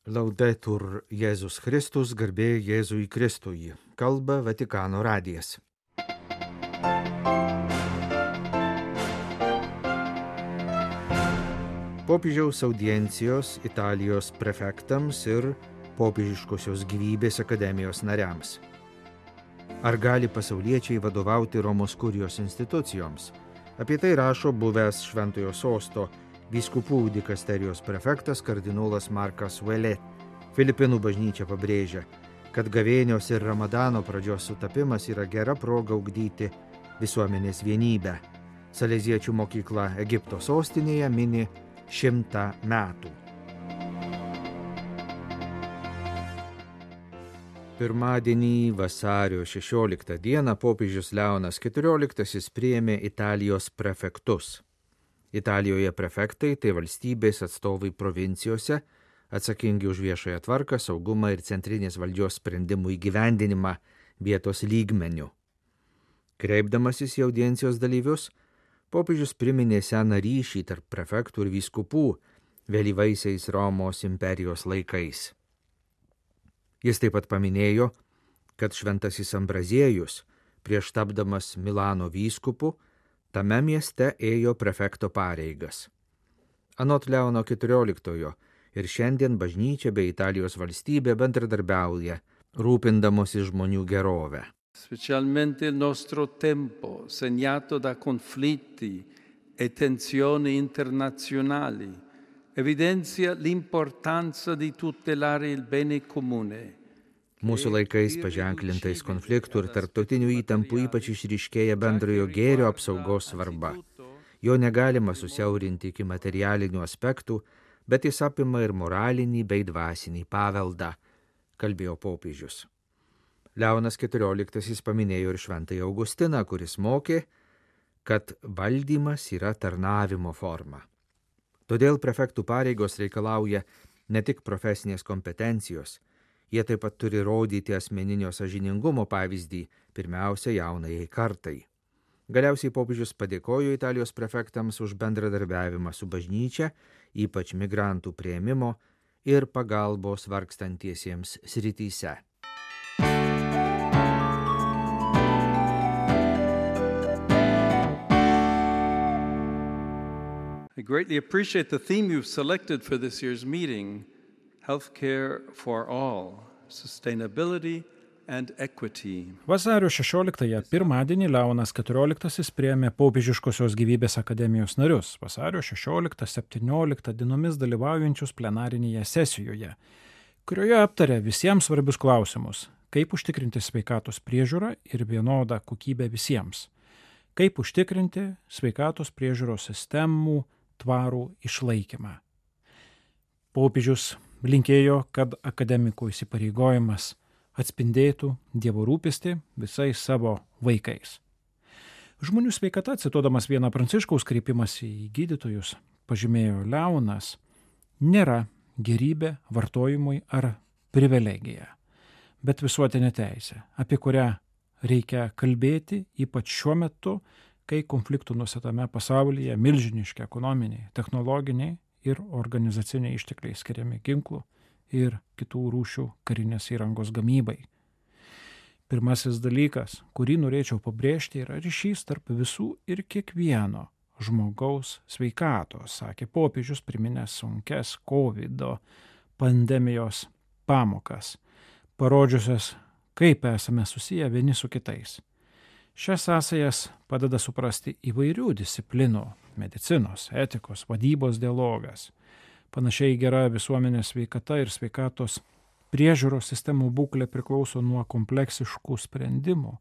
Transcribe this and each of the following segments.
Laudetur Jėzus Kristus, garbė Jėzui Kristui. Kalba Vatikano radijas. Popiežiaus audiencijos Italijos prefektams ir Popiežiškosios gyvybės akademijos nariams. Ar gali pasauliečiai vadovauti Romos kurijos institucijoms? Apie tai rašo buvęs Šventojo Sosto vyskupų dikasterijos prefektas kardinolas Markas Ouellet. Filipinų bažnyčia pabrėžia, kad gavėnios ir Ramadano pradžios sutapimas yra gera proga ugdyti visuomenės vienybę. Saleziečių mokykla Egipto sostinėje mini 100 metų. Pirmadienį vasario 16 dieną popiežius Leonas XIV priėmė Italijos prefektus. Italijoje prefektai tai valstybės atstovai provincijose, atsakingi už viešąją tvarką, saugumą ir centrinės valdžios sprendimų įgyvendinimą vietos lygmeniu. Kreipdamasis į audiencijos dalyvius, popiežius priminė seną ryšį tarp prefektų ir vyskupų vėlyvaisiais Romos imperijos laikais. Jis taip pat paminėjo, kad šventasis Ambraziejus, prieš tapdamas Milano vyskupu, tame mieste ėjo prefekto pareigas. Anot Leono XIV ir šiandien bažnyčia bei Italijos valstybė bendradarbiauja, rūpindamosi žmonių gerovę. Specialmente il nostro tempo, segnato da conflitti e tensioni internazionali, evidenzia l'importanza di tutelare il bene comune. Mūsų laikais paženklintais konfliktų ir tarptautinių įtampų ypač išryškėja bendrojo gėrio apsaugos svarba. Jo negalima susiaurinti iki materialinių aspektų, bet jis apima ir moralinį bei dvasinį paveldą, kalbėjo popiežius. Leonas XIV paminėjo ir šventąjį Augustiną, kuris mokė, kad valdymas yra tarnavimo forma. Todėl prefektų pareigos reikalauja ne tik profesinės kompetencijos, jie taip pat turi rodyti asmeninio sąžiningumo pavyzdį, pirmiausia jaunajai kartai. Galiausiai popiežius padėkojo Italijos prefektams už bendradarbiavimą su bažnyčia, ypač migrantų priėmimo ir pagalbos vargstantiesiems srityse. I greatly appreciate the theme you've selected for this year's meeting, Healthcare for All, Sustainability and Equity. Vasario 16-ąją pirmadienį Leonas XIV priėmė Popiežiškosios gyvybės akademijos narius, vasario 16-17 dienomis dalyvaujančius plenarinėje sesijoje, kurioje aptarė visiems svarbius klausimus, kaip užtikrinti sveikatos priežiūrą ir vienodą kokybę visiems, kaip užtikrinti sveikatos priežiūros sistemų tvarų išlaikymą. Popiežius linkėjo, kad akademikų įsipareigojimas atspindėtų Dievo rūpestį visais savo vaikais. Žmonių sveikata, cituodamas vieną Pranciškaus kreipimąsi į gydytojus, pažymėjo Leonas, nėra gerybė vartojimui ar privilegija, bet visuotinė teisė, apie kurią reikia kalbėti ypač šiuo metu, kai konfliktų nusėtame pasaulyje milžiniški ekonominiai, technologiniai ir organizaciniai ištekliai skiriami ginklų ir kitų rūšių karinės įrangos gamybai. Pirmasis dalykas, kurį norėčiau pabrėžti, yra ryšys tarp visų ir kiekvieno žmogaus sveikatos, sakė popiežius, priminęs sunkes COVID pandemijos pamokas, parodžiusias, kaip esame susiję vieni su kitais. Šias sąsajas padeda suprasti įvairių disciplinų – medicinos, etikos, vadybos dialogas. Panašiai gera visuomenės sveikata ir sveikatos priežiūros sistemų būklė priklauso nuo kompleksiškų sprendimų,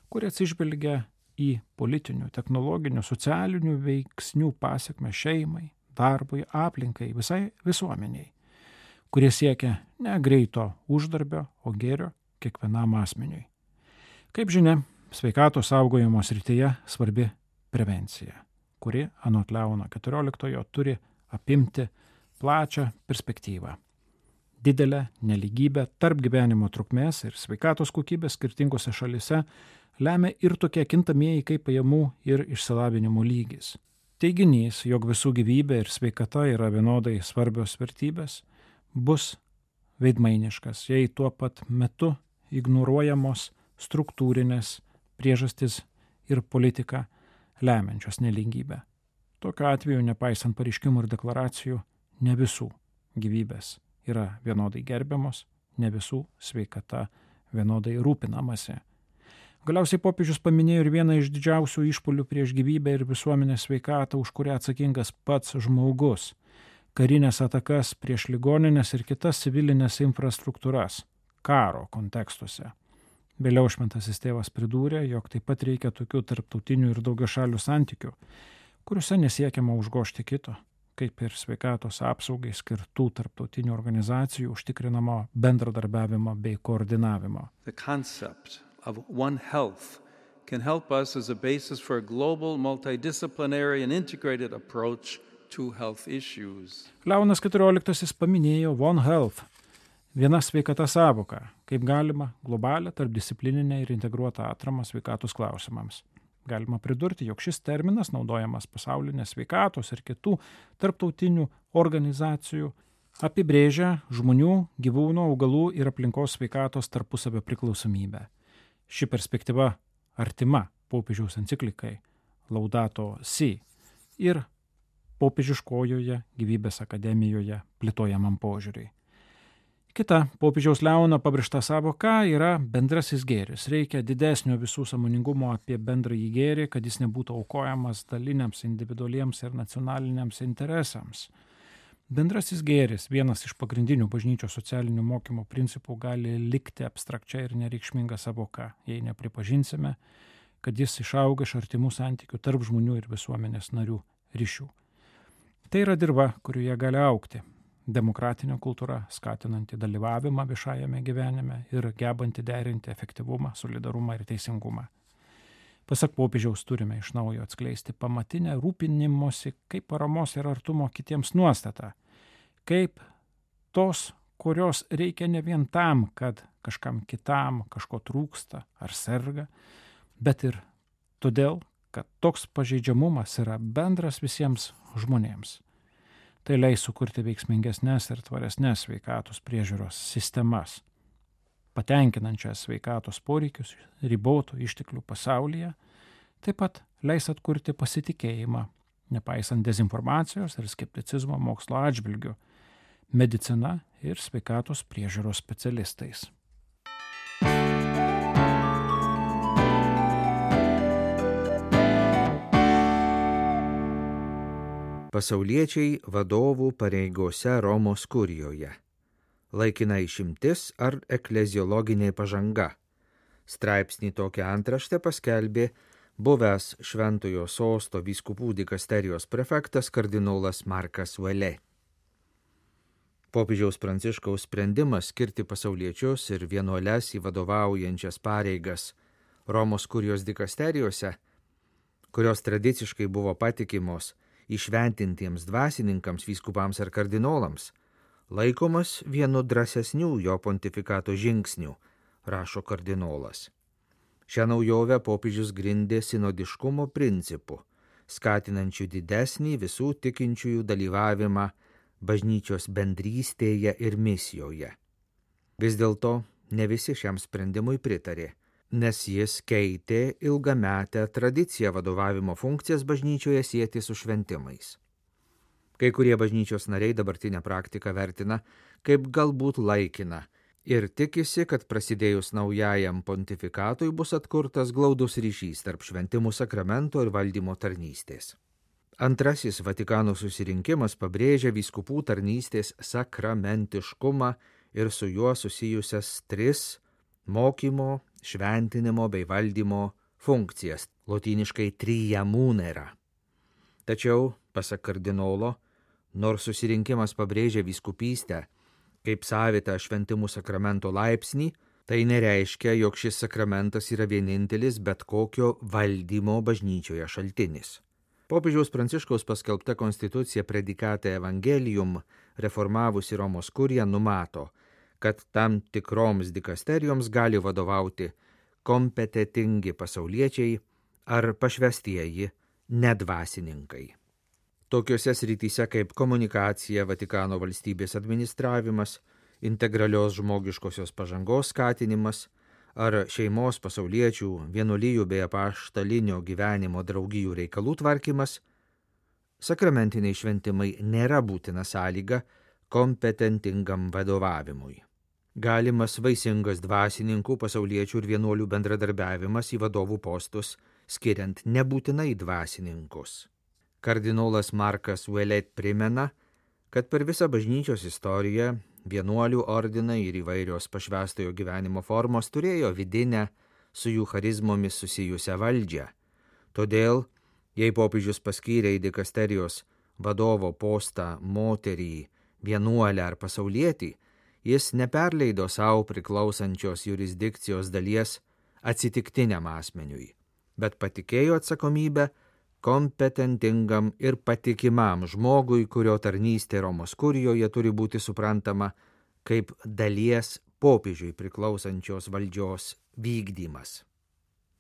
kurie atsižvelgia į politinių, technologinių, socialinių veiksnių pasekmę šeimai, darbui, aplinkai, visai visuomeniai, kurie siekia ne greito uždarbio, o gėrio kiekvienam asmeniui. Kaip žinia, sveikatos saugojimo srityje svarbi prevencija, kuri, anot Leono XIV, turi apimti plačią perspektyvą. Didelę nelygybę tarp gyvenimo trukmės ir sveikatos kokybės skirtingose šalise lemia ir tokie kintamieji kaip pajamų ir išsilavinimo lygis. Teiginys, jog visų gyvybė ir sveikata yra vienodai svarbios vertybės, bus veidmainiškas, jei tuo pat metu ignoruojamos struktūrinės priežastis ir politika lemiančios nelygybę. Tokiu atveju, nepaisant pareiškimų ir deklaracijų, ne visų gyvybės yra vienodai gerbiamos, ne visų sveikata vienodai rūpinamasi. Galiausiai popiežius paminėjo ir vieną iš didžiausių išpuolių prieš gyvybę ir visuomenės sveikatą, už kurią atsakingas pats žmogus – karinės atakas prieš ligoninės ir kitas civilinės infrastruktūras karo kontekstuose. Vėliau šventasis tėvas pridūrė, jog taip pat reikia tokių tarptautinių ir daugiašalių santykių, kuriuose nesiekiama užgožti kito, kaip ir sveikatos apsaugai skirtų tarptautinių organizacijų užtikrinamo bendradarbiavimo bei koordinavimo. The concept of One Health can help us as a basis for a global, multidisciplinary and integrated approach to health issues. Leonas XIV paminėjo One Health, viena sveikata sąvoka, kaip galima globalią, tarpdisciplininę ir integruotą atramą sveikatos klausimams. Galima pridurti, jog šis terminas naudojamas pasaulinės sveikatos ir kitų tarptautinių organizacijų apibrėžia žmonių, gyvūnų, augalų ir aplinkos sveikatos tarpusavio priklausomybę. Ši perspektyva artima popiežiaus enciklikai Laudato Si ir popiežiškojoje gyvybės akademijoje plėtojamam požiūriui. Kita popiežiaus Leono pabrėžta sąvoka yra bendrasis gėris. Reikia didesnio visų sąmoningumo apie bendrąjį gėrį, kad jis nebūtų aukojamas daliniams, individualiems ir nacionaliniams interesams. Bendrasis gėris, vienas iš pagrindinių bažnyčios socialinių mokymo principų, gali likti abstrakčia ir nereikšminga sąvoka, jei nepripažinsime, kad jis išauga iš artimų santykių tarp žmonių ir visuomenės narių ryšių. Tai yra dirva, kurioje gali augti demokratinė kultūra, skatinanti dalyvavimą viešajame gyvenime ir gebanti derinti efektyvumą, solidarumą ir teisingumą. Pasak popiežiaus, turime iš naujo atskleisti pamatinę rūpinimosi kaip paramos ir artumo kitiems nuostatą, kaip tos, kurios reikia ne vien tam, kad kažkam kitam kažko trūksta ar serga, bet ir todėl, kad toks pažeidžiamumas yra bendras visiems žmonėms. Tai leis sukurti veiksmingesnės ir tvaresnės sveikatos priežiūros sistemas, patenkinančias sveikatos poreikius ribotų išteklių pasaulyje, taip pat leis atkurti pasitikėjimą, nepaisant dezinformacijos ir skepticizmo mokslo atžvilgių, medicina ir sveikatos priežiūros specialistais. Pasauliečiai vadovų pareigose Romos kurijoje. Laikina išimtis ar ekleziologinė pažanga. Straipsnį tokią antraštę paskelbė buvęs Šventojo Sosto vyskupų dikasterijos prefektas kardinolas Markas Valė. Popiežiaus Pranciškaus sprendimas skirti pasauliečius ir vienuoles į vadovaujančias pareigas Romos kurijos dikasterijose, kurios tradiciškai buvo patikimos įšventintiems dvasininkams, vyskupams ar kardinolams, laikomas vienu drąsesnių jo pontifikato žingsnių, rašo kardinolas. Šią naujovę popiežius grindė sinodiškumo principu, skatinančių didesnį visų tikinčiųjų dalyvavimą bažnyčios bendrystėje ir misijoje. Vis dėlto ne visi šiam sprendimui pritarė, nes jis keitė ilgametę tradiciją vadovavimo funkcijas bažnyčioje sieti su šventimais. Kai kurie bažnyčios nariai dabartinę praktiką vertina kaip galbūt laikiną ir tikisi, kad prasidėjus naujajam pontifikatui bus atkurtas glaudus ryšys tarp šventimų sakramento ir valdymo tarnystės. Antrasis Vatikano susirinkimas pabrėžia vyskupų tarnystės sakramentiškumą ir su juo susijusias 3 mokymo, šventinimo bei valdymo funkcijas, lotyniškai tria munera. Tačiau, pasak kardinolo, nors susirinkimas pabrėžia vyskupystę kaip savitą šventimų sakramento laipsnį, tai nereiškia, jog šis sakramentas yra vienintelis bet kokio valdymo bažnyčioje šaltinis. Popiežiaus Pranciškaus paskelbta konstitucija Predicate Evangelium, reformavusi Romos kuriją, numato, kad tam tikroms dikasterijoms gali vadovauti kompetentingi pasauliečiai ar pašvestieji nedvasininkai. Tokiuose srityse kaip komunikacija, Vatikano valstybės administravimas, integralios žmogiškosios pažangos skatinimas ar šeimos pasauliečių, vienuolijų bei apaštalinio gyvenimo draugijų reikalų tvarkymas, sakramentiniai šventimai nėra būtina sąlyga kompetentingam vadovavimui. Galimas vaisingas dvasininkų, pasauliečių ir vienuolių bendradarbiavimas į vadovų postus, skiriant nebūtinai dvasininkus. Kardinolas Markas Ouellet primena, kad per visą bažnyčios istoriją vienuolių ordinai ir įvairios pašvęstojo gyvenimo formos turėjo vidinę su jų charizmomis susijusią valdžią. Todėl, jei popiežius paskyrė į dikasterijos vadovo postą moterį, vienuolę ar pasaulietį, jis neperleido savo priklausančios jurisdikcijos dalies atsitiktiniam asmeniui, bet patikėjo atsakomybę kompetentingam ir patikimam žmogui, kurio tarnystė Romos kurijoje turi būti suprantama kaip dalies popiežiui priklausančios valdžios vykdymas.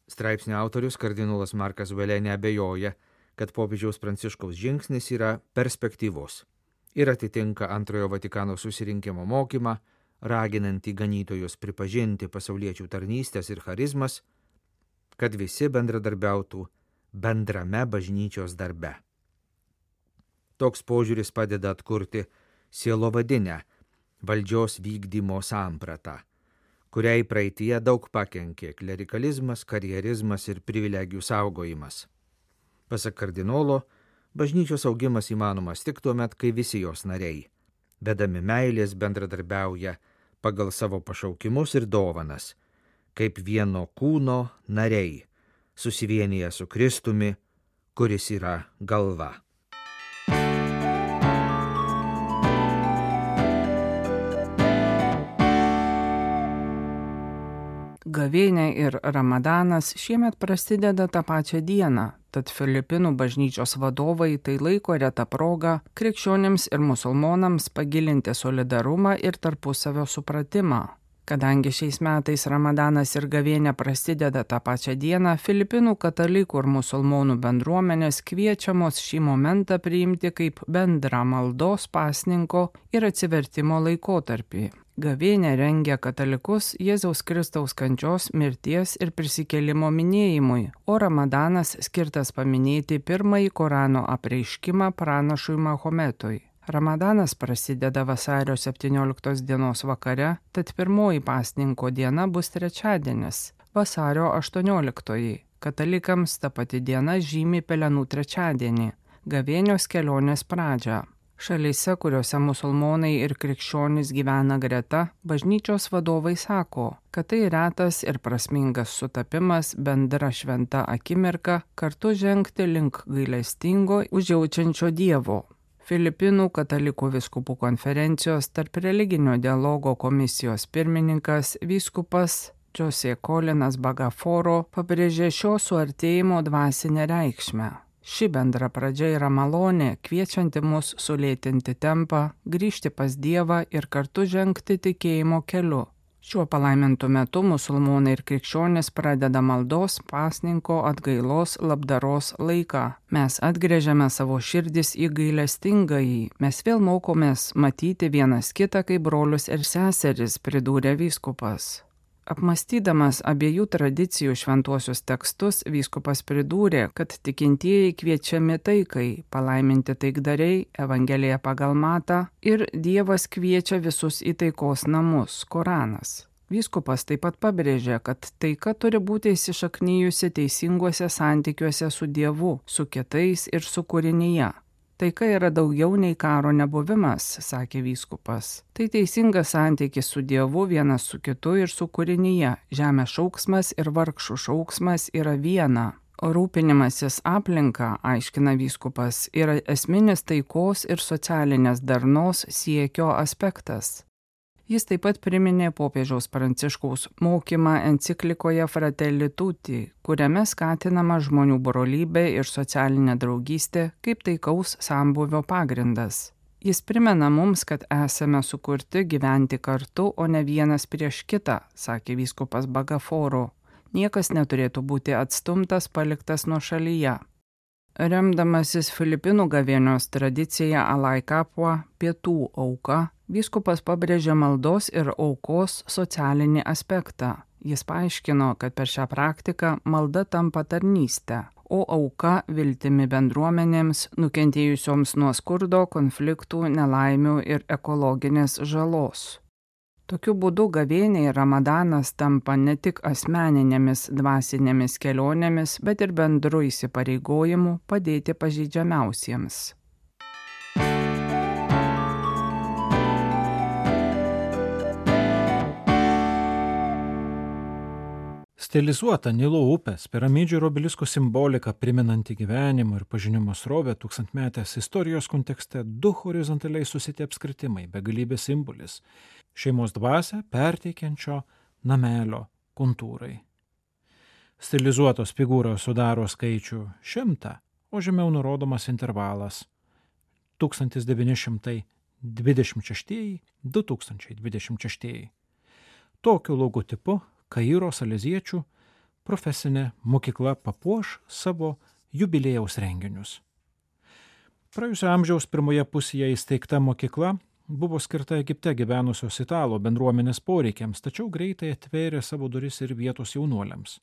Straipsnio autorius kardinolas Markas Ouellet neabejoja, kad popiežiaus Pranciškaus žingsnis yra perspektyvus ir atitinka Antrojo Vatikano susirinkimo mokymą, raginantį ganytojus pripažinti pasauliečių tarnystės ir charizmas, kad visi bendradarbiautų bendrame bažnyčios darbe. Toks požiūris padeda atkurti sielovadinę valdžios vykdymo sampratą, kuriai praeityje daug pakenkė klerikalizmas, karjerizmas ir privilegijų saugojimas. Pasak kardinolo, bažnyčios augimas įmanomas tik tuomet, kai visi jos nariai, vedami meilės, bendradarbiauja pagal savo pašaukimus ir dovanas, kaip vieno kūno nariai, susivienyje su Kristumi, kuris yra galva. Gavėnia ir Ramadanas šiemet prasideda tą pačią dieną, tad Filipinų bažnyčios vadovai tai laiko retą progą krikščionims ir musulmonams pagilinti solidarumą ir tarpusavio supratimą. Kadangi šiais metais Ramadanas ir Gavėnia prasideda tą pačią dieną, Filipinų katalikų ir musulmonų bendruomenės kviečiamos šį momentą priimti kaip bendrą maldos, pasninko ir atsivertimo laikotarpį. Gavėnia rengia katalikus Jėzaus Kristaus kančios, mirties ir prisikėlimo minėjimui, o Ramadanas skirtas paminėti pirmąjį Korano apreiškimą pranašui Mahometui. Ramadanas prasideda vasario 17 dienos vakare, tad pirmoji pasninko diena bus trečiadienis, vasario 18. Katalikams ta pati diena žymi Pelenų trečiadienį, gavėnios kelionės pradžią. Šalyse, kuriuose musulmonai ir krikščionys gyvena greta, bažnyčios vadovai sako, kad tai retas ir prasmingas sutapimas, bendra šventa akimirka, kartu žengti link gailestingo, užjaučiančio Dievo. Filipinų katalikų vyskupų konferencijos tarp religinio dialogo komisijos pirmininkas vyskupas Jose Colinas Bagaforo pabrėžė šio suartėjimo dvasinę reikšmę. Ši bendra pradžia yra malonė, kviečianti mus sulėtinti tempą, grįžti pas Dievą ir kartu žengti tikėjimo keliu. Šiuo palaimintu metu musulmonai ir krikščionys pradeda maldos, pasninko, atgailos, labdaros laiką. Mes atgręžiame savo širdis į gailestingąjį. Mes vėl mokomės matyti vienas kitą kaip brolius ir seseris, pridūrė vyskupas. Apmąstydamas abiejų tradicijų šventuosius tekstus, vyskupas pridūrė, kad tikintieji kviečiami taikai, palaiminti taikdariai, Evangelija pagal Matą ir Dievas kviečia visus į taikos namus, Koranas. Vyskupas taip pat pabrėžė, kad taika turi būti įsišaknyjusi teisinguose santykiuose su Dievu, su kitais ir su kūrinyje. Taika yra daugiau nei karo nebuvimas, sakė vyskupas. Tai teisingas santykis su Dievu vienas su kitu ir su kūrinyje. Žemės šauksmas ir vargšų šauksmas yra viena. O rūpinimasis aplinka, aiškina vyskupas, yra esminis taikos ir socialinės darnos siekio aspektas. Jis taip pat priminė popiežiaus Pranciškaus mokymą enciklikoje Fratelli Tutti, kuriame skatinama žmonių brolybė ir socialinė draugystė kaip taikaus sambūvio pagrindas. Jis primena mums, kad esame sukurti gyventi kartu, o ne vienas prieš kitą, sakė vyskupas Bagaforo. Niekas neturėtų būti atstumtas, paliktas nuošalyje. Remdamasis Filipinų gavėnios tradicija Alai Kapua, pietų auka, Vyskupas pabrėžė maldos ir aukos socialinį aspektą. Jis paaiškino, kad per šią praktiką malda tampa tarnystė, o auka viltimi bendruomenėms nukentėjusioms nuo skurdo, konfliktų, nelaimių ir ekologinės žalos. Tokiu būdu gavėnia ir Ramadanas tampa ne tik asmeninėmis dvasinėmis kelionėmis, bet ir bendru įsipareigojimu padėti pažeidžiamiausiems. Stilizuota Nilo upės, piramidžių ir obeliskų simbolika primenanti gyvenimo ir pažinimo srovę tūkstantmetės istorijos kontekste du horizontaliai susiti apskritimai, begalybės simbolis, šeimos dvasią perteikiančio namelio kontūrai. Stilizuotos figūros sudaro skaičių 100, o žemiau nurodomas intervalas 1926–2026. Tokiu logotipu Kairo saleziečių profesinė mokykla papuoš savo jubiliejaus renginius. Praėjusio amžiaus pirmoje pusėje įsteigta mokykla buvo skirta Egipte gyvenusios italų bendruomenės poreikiams, tačiau greitai atvėrė savo duris ir vietos jaunuoliams.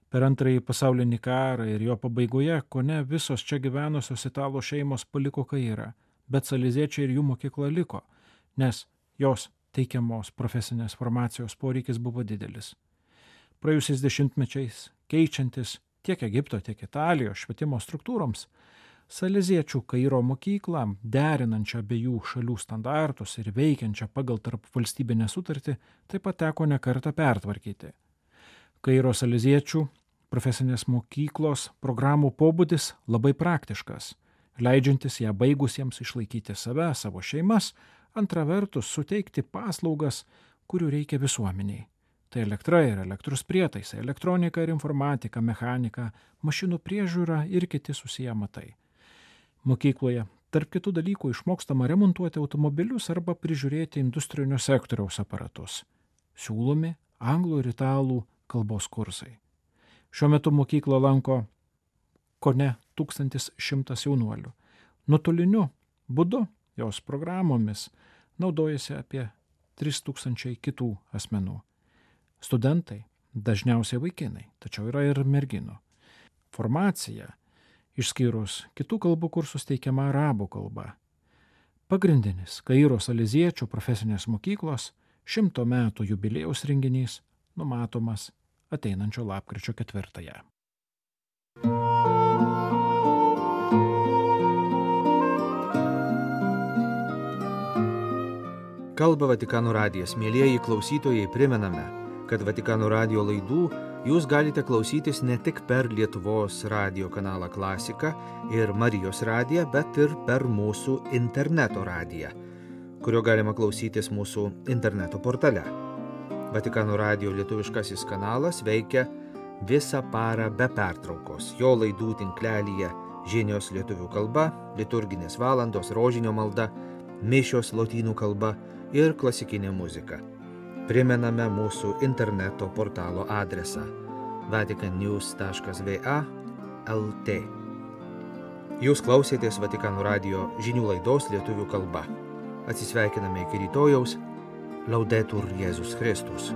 Per Antrąjį pasaulinį karą ir jo pabaigoje kone visos čia gyvenusios italų šeimos paliko Kairą, bet saleziečiai ir jų mokykla liko, nes jos teikiamos profesinės formacijos poreikis buvo didelis. Praėjusiais dešimtmečiais, keičiantis tiek Egipto, tiek Italijos švietimo struktūroms, saleziečių Kairo mokyklą, derinančią abiejų šalių standartus ir veikiančią pagal tarpvalstybinę sutartį, taip pat teko ne kartą pertvarkyti. Kairo saleziečių profesinės mokyklos programų pobūdis labai praktiškas, leidžiantis ją baigusiems išlaikyti save, savo šeimas, antra vertus suteikti paslaugas, kurių reikia visuomeniai. Tai elektra ir elektros prietaisai, elektronika ir informatika, mechanika, mašinų priežiūra ir kiti susiję amatai. Mokykloje, tarp kitų dalykų, išmokstama remontuoti automobilius arba prižiūrėti industrinio sektoriaus aparatus. Siūlomi anglų ir italų kalbos kursai. Šiuo metu mokyklą lanko kone 1100 jaunuolių. Nuotoliniu būdu jos programomis naudojasi apie 3000 kitų asmenų. Studentai dažniausiai vaikinai, tačiau yra ir merginų. Formacija, išskyrus kitų kalbų kursus, teikiama arabų kalba. Pagrindinis Kairo saleziečių profesinės mokyklos 100 metų jubiliejaus renginys numatomas ateinančio lapkričio 4. Kalba Vatikano radijas. Mielieji klausytojai, primename, kad Vatikano radijo laidų jūs galite klausytis ne tik per Lietuvos radijo kanalą Klasika ir Marijos radiją, bet ir per mūsų interneto radiją, kurio galima klausytis mūsų interneto portale. Vatikano radijo lietuviškasis kanalas veikia visą parą be pertraukos. Jo laidų tinklelyje žinios lietuvių kalba, liturginės valandos, rožinio malda, mišios lotynų kalba ir klasikinė muzika. Primename mūsų interneto portalo adresą vaticannews.va/lt. Jūs klausėtės Vatikano radijo žinių laidos lietuvių kalba. Atsisveikiname iki rytojaus. Laudetur Jėzus Kristus.